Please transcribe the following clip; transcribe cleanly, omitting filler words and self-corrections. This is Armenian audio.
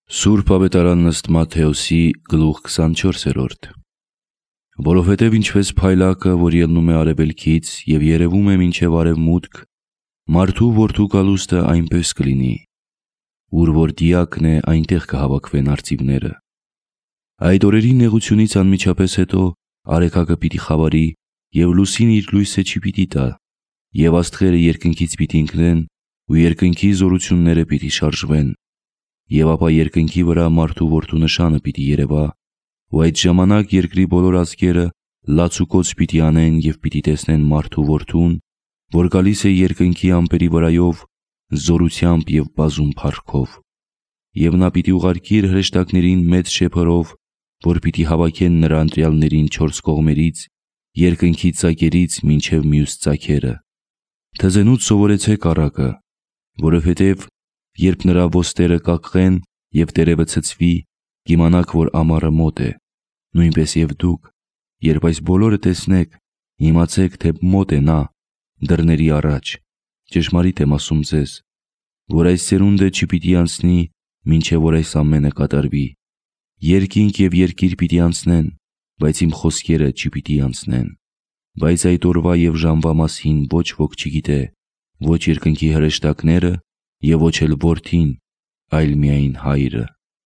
Սուրբ Ավետարանն ըստ Մատթեոսի գլուխ 24-րդ։ Որովհետև ինչպես փայլակը, որ ելնում է արևելքից և երևում է մինչև արևմուտք, մարդու որդու գալուստը այնպես կլինի, ուր որ դիակն է, այնտեղ կհավաքվեն արծիվները։ Այդ օրերի նեղությունից անմիջապես հետո արեգակը պիտի խավարի, և լուսինը իր լույսը չի պիտի տա, և աստղերը երկնքից պիտի ընկնեն, ու երկնքի զորությունները պիտի շարժվեն, և ապա երկնքի վրա մարդու որդու նշանը պիտի երևա, ու այդ ժամանակ երկրի բոլոր ազգերը լացուկոծ պիտի անեն և պիտի տեսնեն մարդու որդուն, որ գալիս է երկնքի ամպերի վրայով զորությամբ և բազում փառքով։ Եվ նա պիտի ուղարկի իր հրեշտակներին մեծ շեփորով, որ պիտի հավաքեն նրա ընտրյալներին չորս կողմերից, երկնքի ծակերից մինչև մյուս ծագերը։ Թզենուց սովորեցեք առակը, որովհետև երբ նրա ոստերը կակղեն և տերևը ցցվի, կիմանաք, որ ամառը մոտ է։ Նույնպես և դուք, երբ այս բոլորը տեսնեք, իմացեք, թե մոտ է նա դռների առաջ։ Ճշմարիտ եմ ասում ձեզ, որ այս սերունդը չպիտի անցնի, մինչև որ այս ամենը կատարվի։ Երկինք և երկիր պիտի անցնեն, բայց իմ խոսքերը չպիտի անցնեն։ Բայց այդ օրվա և ժամվա մասին ոչ ոք չգիտե, ոչ երկնքի հրեշտակները և ոչ էլ Որդին, այլ միայն Հայրը։